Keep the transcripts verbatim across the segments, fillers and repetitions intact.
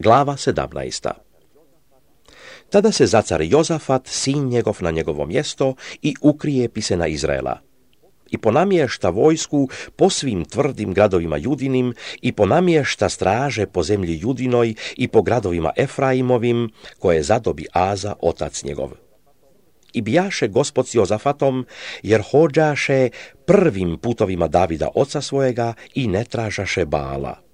Glava sedamnaesta. Tada se zacar Jozafat, sin njegov, na njegovo mjesto i ukrijepi se na Izraela. I ponamješta vojsku po svim tvrdim gradovima Judinim i ponamješta straže po zemlji Judinoj i po gradovima Efraimovim, koje zadobi Aza, otac njegov. I bijaše Gospod s Jozafatom, jer hođaše prvim putovima Davida oca svojega i ne tražaše Baala.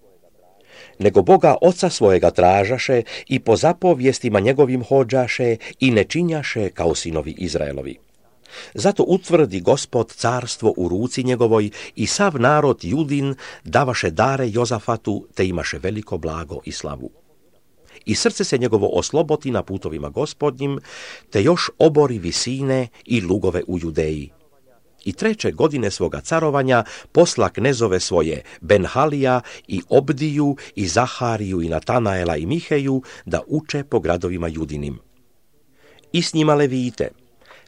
Nego Boga oca svojega tražaše i po zapovjestima njegovim hođaše i ne činjaše kao sinovi Izraelovi. Zato utvrdi Gospod carstvo u ruci njegovoj i sav narod Judin davaše dare Jozafatu, te imaše veliko blago i slavu. I srce se njegovo osloboti na putovima Gospodnjim, te još obori visine i lugove u Judeji. I treće godine svoga carovanja posla knezove svoje Benhalija i Obdiju i Zahariju i Natanaela i Miheju da uče po gradovima Judinim. I s njima levite,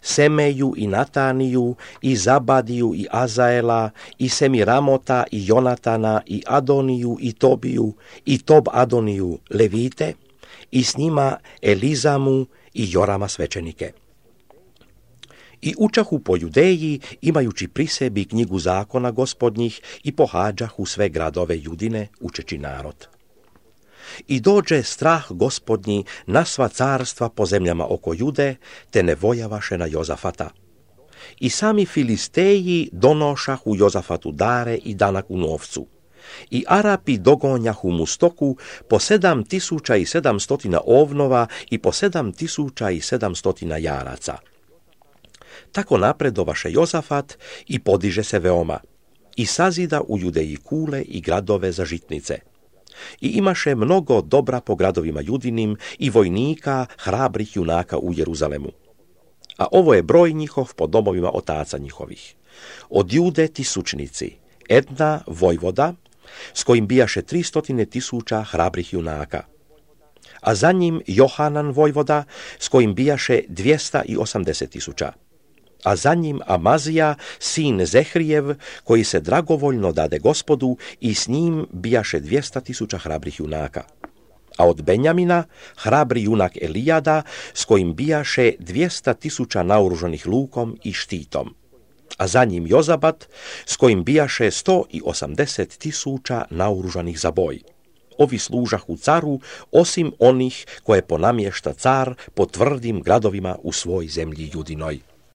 Semeju i Nataniju i Zabadiju i Azaela i Semiramota i Jonatana i Adoniju i Tobiju i Tob Adoniju levite i s njima Elizamu i Jorama svećenike. I učahu po Judeji, imajući pri sebi knjigu zakona Gospodnjih, i pohađahu sve gradove Judine, učeći narod. I dođe strah Gospodnji na sva carstva po zemljama oko Jude, te ne vojavaše na Jozafata. I sami Filisteji donošahu Jozafatu dare i danak u novcu. I Arapi dogonjahu mu stoku po sedam tisuća i sedam stotina ovnova i po sedam tisuća i sedam stotina jaraca. Tako napredovaše Jozafat i podiže se veoma, i sazida u Judeji kule i gradove za žitnice. I imaše mnogo dobra po gradovima Judinim i vojnika, hrabrih junaka u Jeruzalemu. A ovo je broj njihov po domovima otaca njihovih. Od Jude tisućnici, Edna vojvoda, s kojim bijaše tristotine tisuća hrabrih junaka. A za njim Johanan vojvoda, s kojim bijaše dvjesta osamdeset tisuća. A za njim Amazija, sin Zehrijev, koji se dragovoljno dade Gospodu, i s njim bijaše dvjesta tisuća hrabrih junaka. A od Benjamina hrabri junak Elijada, s kojim bijaše dvjesta tisuća naoružanih lukom i štitom. A za njim Jozabat, s kojim bijaše sto osamdeset tisuća naoružanih za boj. Ovi služahu caru, osim onih koje ponamješta car po tvrdim gradovima u svoj zemlji Judinoj.